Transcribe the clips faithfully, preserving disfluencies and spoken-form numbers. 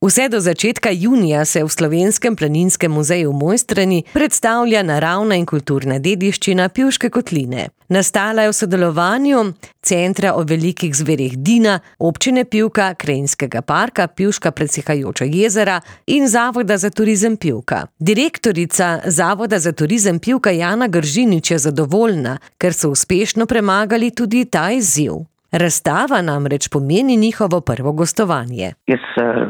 Vse do začetka junija se v Slovenskem planinskem muzeju v Mojstrani predstavlja naravna in kulturna dediščina Pivške kotline. Nastala je v sodelovanju Centra o velikih zverih Dina, Občine Pivka, Krajinskega parka Pivška Presihajoča jezera in Zavoda za turizem Pivka. Direktorica Zavoda za turizem Pivka Jana Gržinič je zadovoljna, ker so uspešno premagali tudi ta izziv. Razstava namreč pomeni njihovo prvo gostovanje. Jaz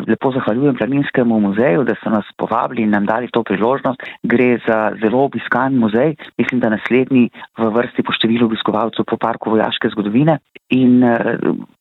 lepo zahvaljujem Planinskemu muzeju, da so nas povabili in nam dali to priložnost. Gre za zelo obiskan muzej, mislim, da naslednji v vrsti po številu obiskovalcev po parku vojaške zgodovine. In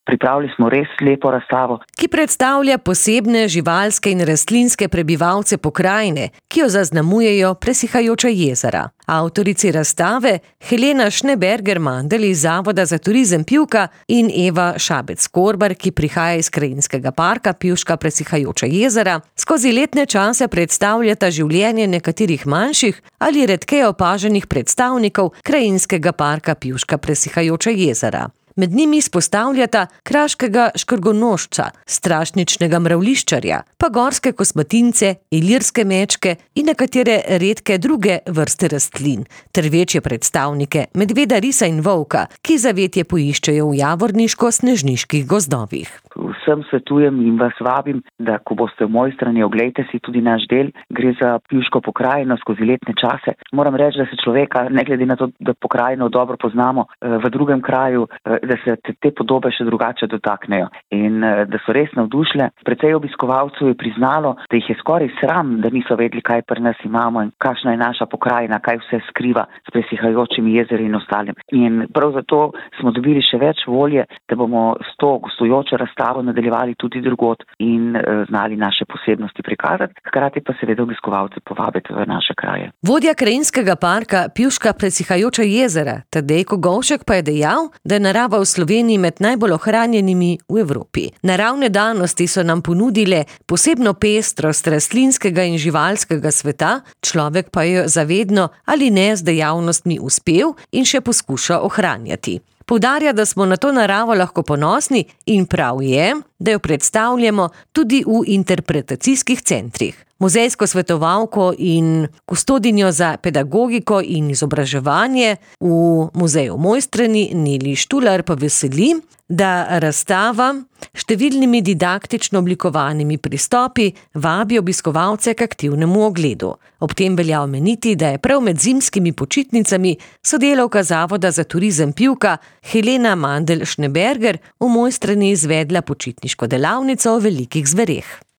pripravili smo res lepo razstavo, ki predstavlja posebne živalske in rastlinske prebivalce pokrajine, ki jo zaznamujejo presihajoča jezera. Avtorici razstave Helena Schneberger-Mandl iz Zavoda za turizem Pivka in Eva Šabec-Korbar, ki prihaja iz Krajinskega parka Pivška Presihajoča jezera, skozi letne čase predstavljata življenje nekaterih manjših ali redkeje opaženih predstavnikov Krajinskega parka Pivška Presihajoča jezera. Med njimi izpostavljata kraškega škrgonožca, strašničnega mravliščarja, pa gorske kosmatince, ilirske mečke in nekatere redke druge vrste rastlin, ter večje predstavnike medveda, risa in volka, ki zavetje poiščejo v javorniško-snežniških gozdovih. Vsem svetujem in vas vabim, da ko boste v Mojstrani, oglejte si tudi naš del. Gre za pivško pokrajino skozi letne čase. Moram reči, da se človeka, ne glede na to, da pokrajino dobro poznamo, v drugem kraju, da se te podobe še drugače dotaknejo in da so res navdušile. Precej obiskovalcev je priznalo, da jih je skoraj sram, da niso vedeli, kaj pri nas imamo in kakšna je naša pokrajina, kaj vse skriva s presihajočimi jezeri in ostalim. In prav zato smo dobili še več volje, da bomo s to gostujočo razstavo nadaljevali tudi drugod in znali naše posebnosti prikazati, hkrati pa seveda obiskovalce povabiti v naše kraje. Vodja Krajinskega parka Pivška Presihajoča jezera Tadej Kogovšek pa je dejal, da je narava v Sloveniji med najbolj ohranjenimi v Evropi. Naravne danosti so nam ponudile posebno pestrost rastlinskega in živalskega sveta, človek pa je zavedno ali ne z dejavnostmi uspel in še poskuša ohranjati. Poudarja, da smo na to naravo lahko ponosni in prav je, da jo predstavljamo tudi v interpretacijskih centrih. Muzejsko svetovalko in kustodinjo za pedagogiko in izobraževanje v muzeju v Mojstrani Neli Štular pa veseli, da razstava številnimi didaktično oblikovanimi pristopi vabi obiskovalce k aktivnemu ogledu. Ob tem velja omeniti, da je prav med zimskimi počitnicami sodelavka Zavoda za turizem Pivka Helena Mandl Schneberger v Mojstrani izvedla počitniško delavnico o velikih zvereh.